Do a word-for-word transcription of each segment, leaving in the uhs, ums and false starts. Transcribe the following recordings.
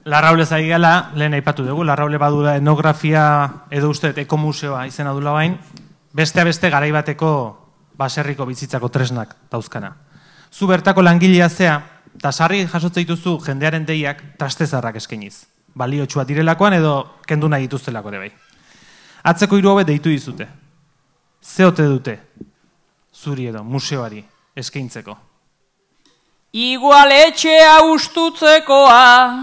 Larraule zaigela, lehen aipatu dugu, Larraule badula etnografia edo uste ekomuseoa izena dula bain, bestea beste garaibateko baserriko bizitzako tresnak dauzkana. Zu bertako langilea zea, eta sarri jasotze dituzu jendearen deiak trastezarrak eskainiz. Baliotsua direlakoan edo kendu nahi dituztelako ere bai. Atzeko hiru hauek deitu dizute. Ze ote dute zuri edo museoari eskaintzeko? Igual etxea ustutzekoa,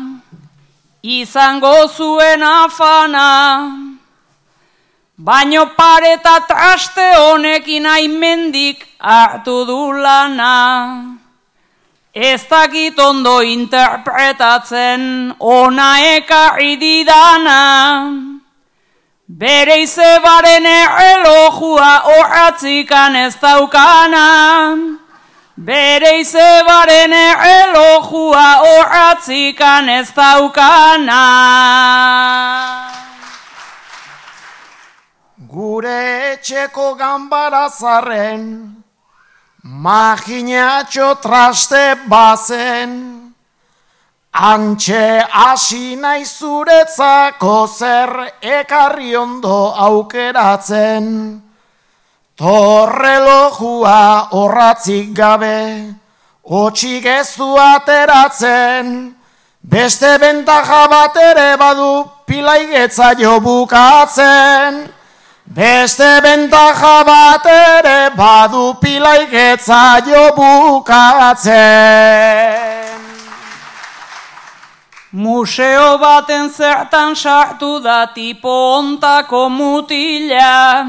izango zuen afana, baino pareta traste honekin aimendik hartu du lana. Ez dakit ondo interpretatzen ona ekarri didana, bere izebaren errelojua horratzikan ez daukana. Bere izebaren errelojua horratzikan ez daukana. Gure etxeko ganbarazarren, maginatxo traste bazen, antxe hasi nahi zuretzako zer ekarri ondo aukeratzen. Torrelojua horratzik gabe, hotxik ez du ateratzen, beste bentaja bat ere badu pilaigetza jo bukatzen. Beste bentaja bat ere badu pilaigetza jo bukatzen. Museo baten zertan sartu da tipo ontako mutila,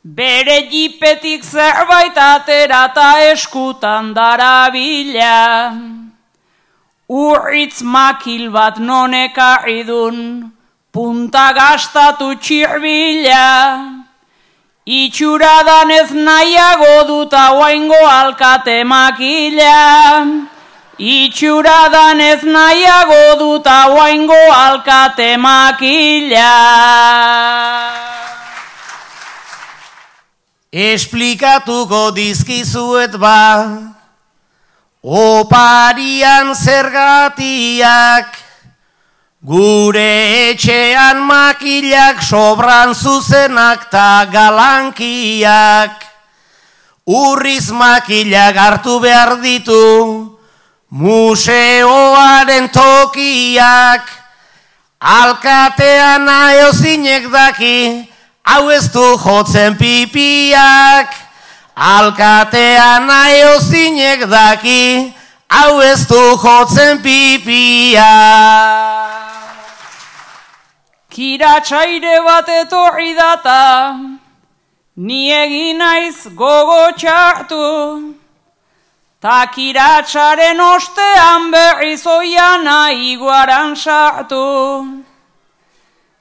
bere jipetik zerbait atera eta eskutan darabila. Urritz makil bat non ekarri dun, punta gastatu txirbila. Itxuradan ez nahiago dut hauaingo alkate makila. Itxuradan ez nahiago dut hauaingo alkate makila. Esplikatuko dizkizuet ba, oparian zergatiak, gure etxean makilak sobran zuzenak ta galankiak. Urriz makilak hartu behar ditu, museoaren tokiak, alkatean aiozinek daki, hau ez du jotzen pipiak. Alkatean aiozinek daki, hau ez du jotzen pipiak. Kiratsaire bat etorri data, ni egin naiz gogo txartu, ta kiratsaren ostean berriz oiana iguaran sartu.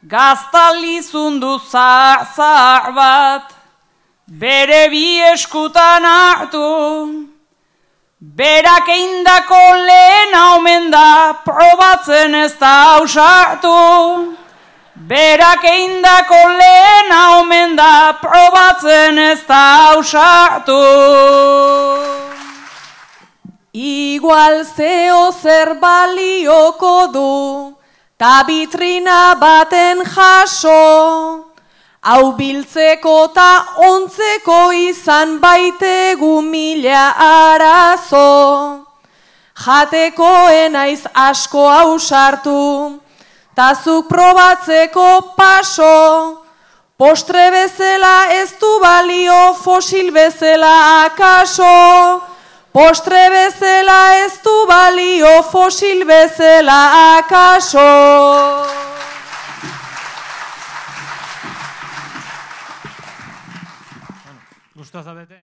Gaztalizundu zahar bat, bere bi eskutan hartu, berak eindako lehena omen da, probatzen ez da ausartu. Berak eindako lehena omen da, probatzen ez da ausartu. Igual zeo zer balioko du, ta bitrina baten jaso, hau biltzeko ta ontzeko izan baitegu mila arazo. Jateko enaiz asko ausartu, ta zuk probatzeko paso, postre bezala ez du balio fosil bezala akaso. Postre bezala ez du balio fosil bezala akaso. Gustoz zaudete?